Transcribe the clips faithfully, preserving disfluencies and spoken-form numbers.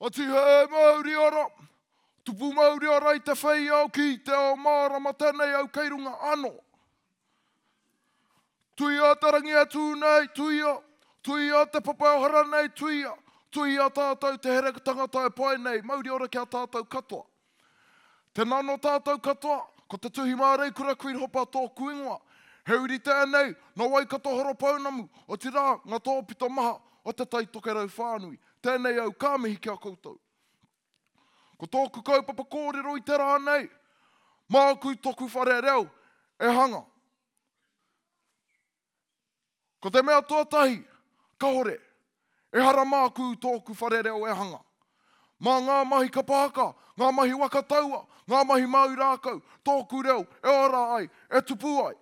Ati he mauri ora, tupu mauri ora i te whei au ki te ao mārama tēnei au kei runga anō. Tuia te rangi e tū nei, tuia, tuia te papa e hora nei, tuia, tuia tātou te here tangata e pae nei, mauri ora ki a tātou katoa. Tēnā nō tātou katoa, ko te Tuhi Māreikura Queen Hopa tōku ingoa. He uri tēnei, nō Waikato Horopounamu, otirā ngā tōpito maha o te Tai Tokerau whānui. Tēnei au ka mihi ki a koutou. Ko tōku kaupapa kōrero i te rā nei, māku toku whare reo e hanga. Ko te mea tuatahi, kahore, ehara māku tōku whare reo e hanga. Mā ngā mahi kapa haka, ngā mahi waka taua, ngā mahi mau rākau, tōku reo e ora ai, e tupu ai.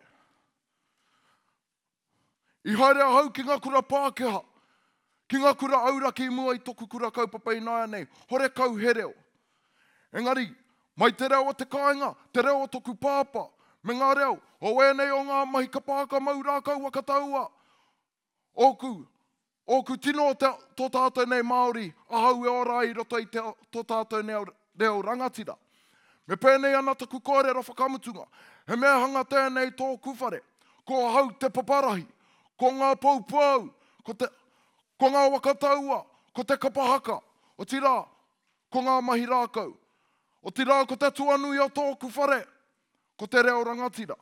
I haere ahau ki ngā kura Pākehā, ki ngā kura auraki i mua i toku kura kaupapa ināianei, horekau he reo. Engari, mai te reo o te kāinga, te reo o toku pāpā, me ngā reo o ēnei o ngā mahi kapa haka mau rākau waka taua, ōku, ōku tino o te, tō tātou nei Māori, ahau e ora ai i roto i te, tō tātou nei reo rangatira. Me pēnei ana taku kōrero whakamutunga, he mea hanga tēnei tōku whare, ko ahau te paparahi, ko ngā poupou, ko, te, ko ngā waka taua, ko te kapa haka, otirā, ko ngā mahi rākau. Otirā, ko te tuanui o tōku whare, ko te reo rangatira.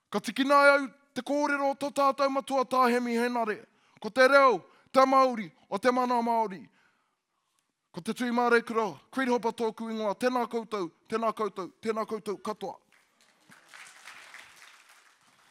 Ka tikina e au te kōrero o tō tātou matua tā Hemi Henare, ko te reo, te mauri, o te mana Māori. Ko te Tui Māreikura, Creed Hopa tōku ingoa, tēnā koutou, tēnā koutou, tēnā koutou katoa.